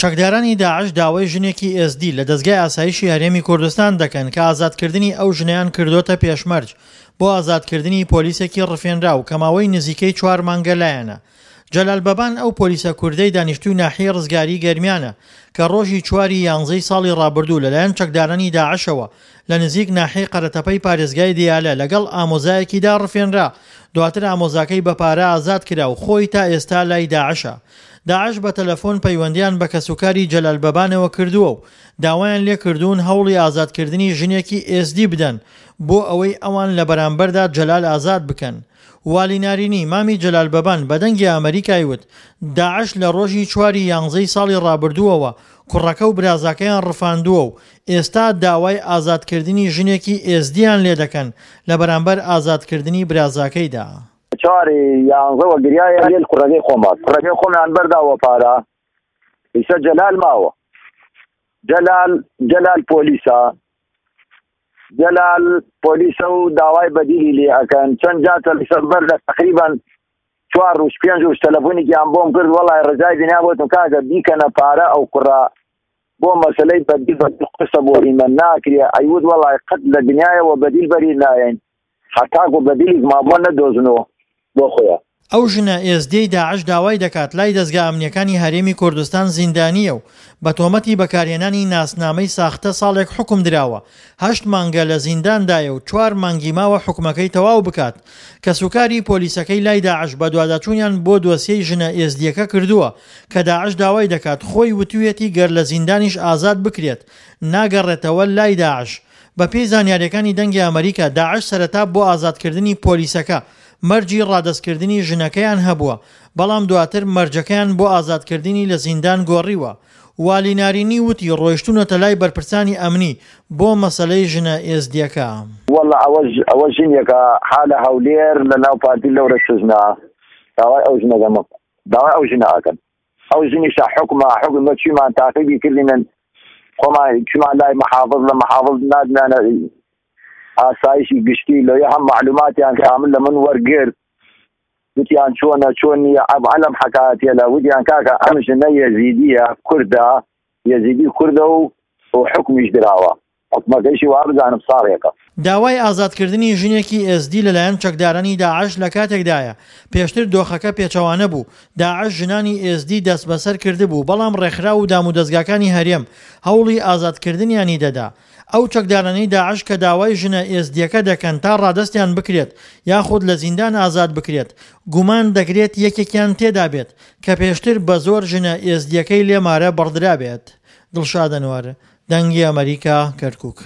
چەکدارانی داعش داوای ژنێکی ئێزدی لە دەزگای ئاسایشی هەرێمی کوردستان دەکەن کە ئازادکردنی ئەو ژنەیان کردۆتە پێشمەرج بۆ ئازادکردنی پۆلیسێکی ڕفێنراو کە ماوەی نزیکەی چوار مانگە لایانە. جەلال بەبان ئەو پۆلیسە کوردەی دانیشتووی ناحیەی ڕزگاریی گەرمیانە کە ڕۆژی چواری یانزەی ساڵی ڕابردوو لەلایەن چەکدارانی داعشەوە لە نزیک ناحیەی قەرەتەپەی پارێزگای دیالە لەگەڵ ئامۆزایەکیدا ڕفێنرا، دواتر ئامۆزاکەی بە پارە ئازاد کرا و خۆی تا ئێستا لای داعشە. داعش بە تەلەفۆن پەیوەندیان بە کەسوکاری جەلال بەبانەوە کردووە و داوایان لێکردوون هەوڵی ئازادکردنی ژنێکی ئێزدی بدەن بۆ ئەوەی ئەوان لە بەرامبەردا جەلال ئازاد بکەن. والی نارینی، مامی جەلال بەبان بە دەنگی ئەمەریکای وت، داعش لە ڕۆژی چواری یانزەی ساڵی ڕابردووەوە کوڕەکە و برازاکەیان ڕفاندووە و ئێستا داوای ئازادکردنی ژنێکی ئێزدییان لێدەکەن لە بەرامبەر ئازادکردنی برازاکەیدا. چواری یانزەوە گریایە لێل کوڕەکەی خۆمان کوڕەکەی خۆمیان بەرداوە پارە ئیسە جەلال ماوە جەلال جەلال پۆلیسە جەلال پۆلیسە و داوای بەدیلی لێ ئەکەن چەند جار تەلەفۆن بەر لە تقریبا چوار ڕوژ پێنج ڕوژ تەلەفۆنێکیان بۆم کرد وەڵای ڕزای دنیا بۆتم کاکە بیکەنە پارە ئەو کوڕە بۆ مەسلەی بەدیل بەدیل قورسە بۆ ئیمە ناکرێ ئەیوت وەڵای قەت لە دنیایەوە بەدیل بەری نایەین هەتاکو بەدیلیک مابووە نەدۆزنەوە بۆ خۆیان. ئەو ژنە ئێزدیەی داعش داوای دەکات لای دەزگا ئەمنییەکانی هەرێمی کوردستان زیندانییە و بە تۆمەتی بەکارهێنانی ناسنامەی ساختە ساڵێک حوکم دراوە، هەشت مانگە لە زینداندایە و چوار مانگی ماوە حوکمەکەی تەواو بکات. کەسوکاری پۆلیسەکەی لای داعش بەدواداچوونیان بۆ دۆسیەی ژنە ئێزدییەکە کردووە کە داعش داوای دەکات، خۆی وتویەتی گەر لە زیندانیش ئازاد بکرێت ناگەڕێتەوە لای داعش. بەپێی زانیارییەکانی دەنگی ئەمەریکا، داعش سەرەتا بۆ ئازادکردنی پۆلیسەکە مەرجی ڕادەستکردنی ژنەکەیان هەبووە، بەڵام دواتر مەرجەکەیان بۆ ئازادکردنی لە زیندان گۆڕیوە. والی نارینی وتی ڕۆیشتوونەتە لای بەرپرسانی ئەمنی بۆ مەسەلەی ژنە ئێزدییەکە. وەڵا ئەوە ئەوە ژنێکە حا لە هەولێر لە ناو پارتی لەورە سجنە داوای ئەو ژنە دەمە داوای ئەو ژنە ئەکەن ئەو ژنیشە حکومە حکوم بە چیمان تاقیبی کردینن خۆمان چمان لای محافظ لە محافظ نادمانە ئاسایشی گشتی لەوێ هەم معلوماتیان کامل لە من وەرگرت وتیان چۆنە چۆن نییە ئەم عەلەم حەکایەتیە لە وتیان کاکە ئەم ژنە یەزیدیە کوردە یەزیدی کوردە و و حکمیش دراوە حکومەکەیشی وابزانم ساڵێکە. داوای ئازادکردنی ژنێکی ئێزدی لەلایەن چەکدارانی داعش لەکاتێکدایە، پێشتر دۆخەکە پێچەوانە بوو، داعش ژنانی ئێزدی دەستبەسەر کردبوو، بەڵام ڕێکخراو و دامودەزگاکانی هەرێم هەوڵی ئازادکردنیانی دەدا. ئەو چەکدارانەی داعش کە داوای ژنە ئێزدییەکە دەکەن تا ڕادەستیان بکرێت یاخود لە زیندان ئازاد بکرێت، گومان دەکرێت یەکێکیان تێدابێت کە پێشتر بە زۆر ژنە ئێزدییەکەی لێ مارە بڕدرابێت. دڵشاد ئەنوەر، دەنگی ئەمەریکا، کەرکوک.